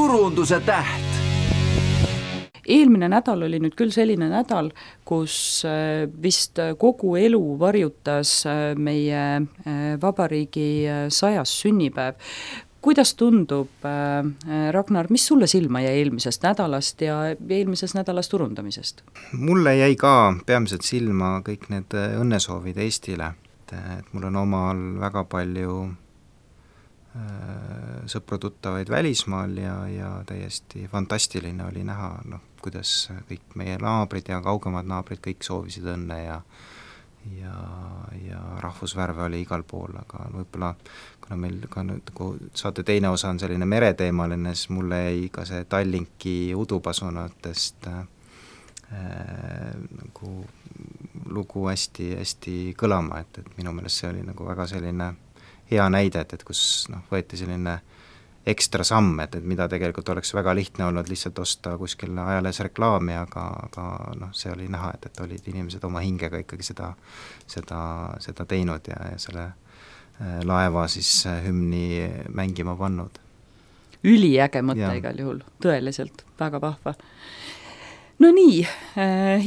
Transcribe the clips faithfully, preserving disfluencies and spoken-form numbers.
turunduse täht. Eelmine nädal oli nüüd küll selline nädal, kus vist kogu elu varjutas meie vabariigi sajas sünnipäev. Kuidas tundub, Ragnar, mis sulle silma jäi eelmisest nädalast ja eelmisest nädalast turundamisest? Mulle jäi ka peamiselt silma kõik need õnnesoovid Eestile, et mul on omal väga palju sõpru-tuttavaid välismaal ja, ja täiesti fantastiline oli näha, noh, kuidas kõik meie naabrid ja kaugemad naabrid kõik soovisid õnne ja ja, ja rahvusvärve oli igal pool, aga võib-olla kuna meil ka nüüd, kui saate teine osa on selline mereteemaline, siis mulle jäi ka see Tallinki udupasunatest äh, nagu lugu hästi, hästi kõlama, et, et minu meelest see oli nagu väga selline hea näide, et, et kus noh, võeti selline ekstra samm, et, et mida tegelikult oleks väga lihtne olnud lihtsalt osta kuskil ajalehes reklaami, aga, aga noh, see oli näha, et, et olid inimesed oma hingega ikkagi seda, seda, seda teinud ja, ja selle laeva siis hümni mängima pannud. Üliäge mõte ja. Igal juhul, tõeliselt, väga vahva. No nii,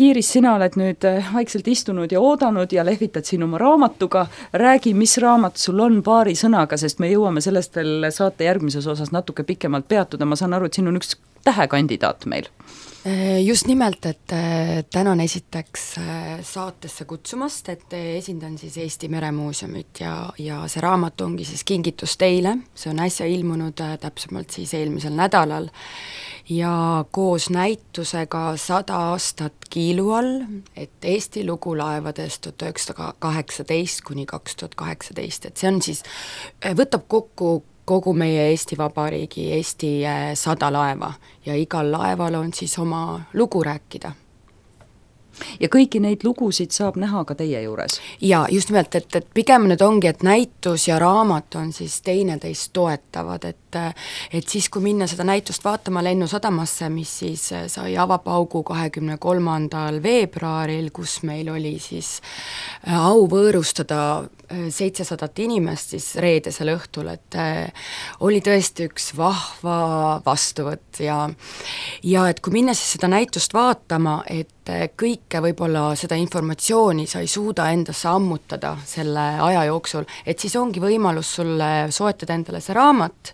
Iiris, sina oled nüüd vaikselt istunud ja oodanud ja lehvitad siin oma raamatuga. Räägi, mis raamat sul on paari sõnaga, sest me jõuame sellest veel saate järgmises osas natuke pikemalt peatuda. Ma saan aru, et siin on üks tähekandidaat meil. Just nimelt, et tänan esiteks saatesse kutsumast, et esindan siis Eesti Meremuuseumit ja, ja see raamat ongi siis kingitus teile. See on äsja ilmunud täpsemalt siis eelmisel nädalal ja koos näitusega sada aastat kiilu all, et Eesti lugu laevadest tuhat üheksasada kaheksateist kuni kaks tuhat kaheksateist, et see on siis, võtab kokku kogu meie Eesti Vabariigi, Eesti sada laeva ja igal laeval on siis oma lugu rääkida. Ja kõiki neid lugusid saab näha ka teie juures? Ja just nimelt, et, et pigem nüüd ongi, et näitus ja raamat on siis teineteist toetavad, et, et siis kui minna seda näitust vaatama Lennusadamasse, mis siis sai avapaugu kahekümne kolmandal veebruaril, kus meil oli siis au võõrustada seitsesadat inimest siis reedesel õhtul, et oli tõesti üks vahva vastuvõtt ja, ja et kui minna siis seda näitust vaatama, et kõike võib-olla seda informatsiooni sa ei suuda endasse ammutada selle aja jooksul, et siis ongi võimalus sulle soetada endale see raamat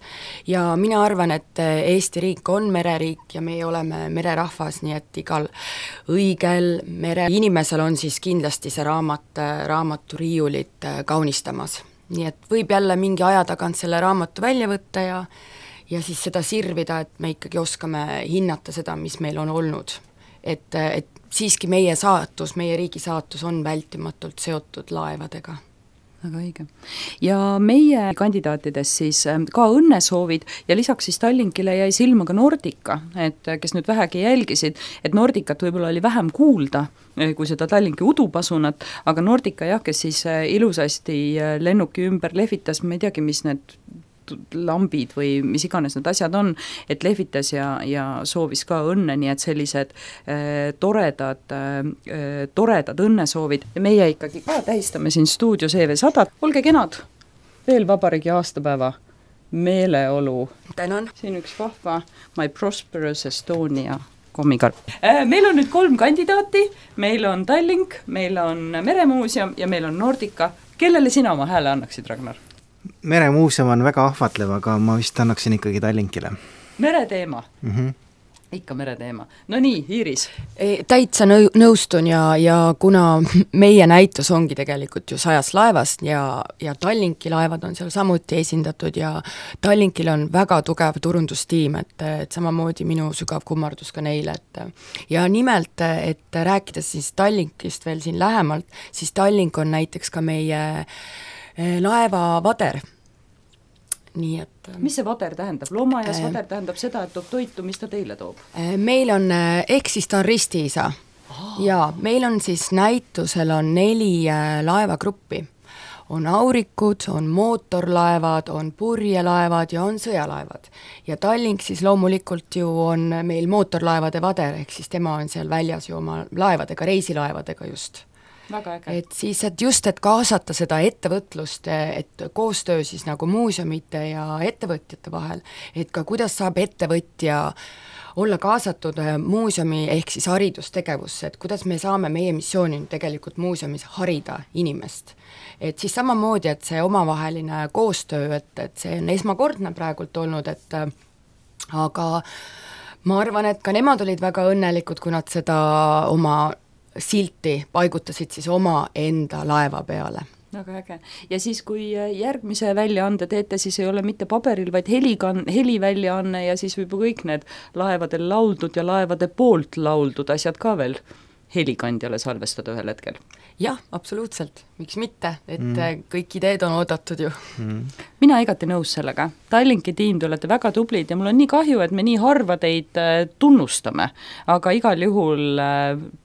ja mina arvan, et Eesti riik on mereriik ja meie oleme mererahvas, nii et igal õigel mere inimesel on siis kindlasti see raamat, raamaturiiulit kaunistamas. Nii et võib jälle mingi aja tagant selle raamatu välja võtta ja, ja siis seda sirvida, et me ikkagi oskame hinnata seda, mis meil on olnud. Et, et siiski meie saatus, meie riigi saatus on vältimatult seotud laevadega. Väga õige. Ja meie kandidaatides siis ka õnnesoovid ja lisaks siis Tallinkile jäi silma ka Nordica, et kes nüüd vähegi jälgisid, et Nordicat võib-olla oli vähem kuulda kui seda Tallinki udupasunat, aga Nordica jah, kes siis ilusasti lennuki ümber lehvitas, ma ei teagi, mis need lambid või mis iganes need asjad on, et lehvitas ja, ja soovis ka õnne, nii et sellised äh, toredad, äh, toredad õnnesoovid. Ja meie ikkagi ka tähistame siin stuudios E V sada. Olge kenad, veel vabariigi aastapäeva meeleolu. Tänan. Siin üks vahva My Prosperous Estonia kommikarp. Äh, meil on nüüd kolm kandidaati, meil on Tallink, meil on Meremuuseum ja meil on Nordica. Kellele sina oma hääle annaksid, Ragnar? Meremuuseum on väga ahvatlev, aga ma vist annaksin ikkagi Tallinkile. Mereteema? Mm-hmm. Ikka mereteema. No nii, Iiris? Täitsa nõu- nõustun ja, ja kuna meie näitus ongi tegelikult ju sajast laevast ja, ja Tallinki laevad on seal samuti esindatud ja Tallinkil on väga tugev turundustiim, et, et samamoodi minu sügav kummardus ka neile. Et, ja nimelt, et rääkides siis Tallinkist veel siin lähemalt, siis Tallink on näiteks ka meie laeva vader. Nii et mis see vader tähendab? Loomaaias vader tähendab seda, et toob toitu, mis ta teile toob? Meil on, ehk siis ta on ristiisa. Oh. Ja meil on siis näitusel on neli laevagruppi. On aurikud, on mootorlaevad, on purjelaevad ja on sõjalaevad. Ja Tallink siis loomulikult ju on meil mootorlaevade vader, ehk siis tema on seal väljas ju oma laevadega, reisilaevadega just. väga äge. et siis, et just, et kaasata seda ettevõtlust, et koostöö siis nagu muuseumite ja ettevõtjate vahel, et ka kuidas saab ettevõtja olla kaasatud muuseumi ehk siis haridustegevusse, et kuidas me saame, meie missioon on tegelikult muuseumis harida inimest. Et siis samamoodi, et see omavaheline koostöö, et, et see on esmakordne praegult olnud, et aga ma arvan, et ka nemad olid väga õnnelikud, kui nad seda oma silti paigutasid siis oma enda laeva peale. Väga äge. Ja siis, kui järgmise väljaande teete, siis ei ole mitte paberil, vaid helikan-, heliväljaanne ja siis võib kõik need laevadel lauldud ja laevade poolt lauldud asjad ka veel helikandjale salvestada ühel hetkel. Jah, absoluutselt. Miks mitte, et mm. kõik ideed on oodatud ju. Mm. Mina igati nõus sellega. Tallinki tiim, te olete väga tublid ja mul on nii kahju, et me nii harva teid tunnustame, aga igal juhul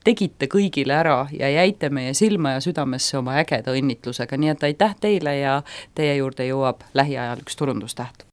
tegite kõigile ära ja jäite meie silma ja südamesse oma ägeda õnnitlusega, nii et aitäh teile ja teie juurde jõuab lähiajal üks turundustäht.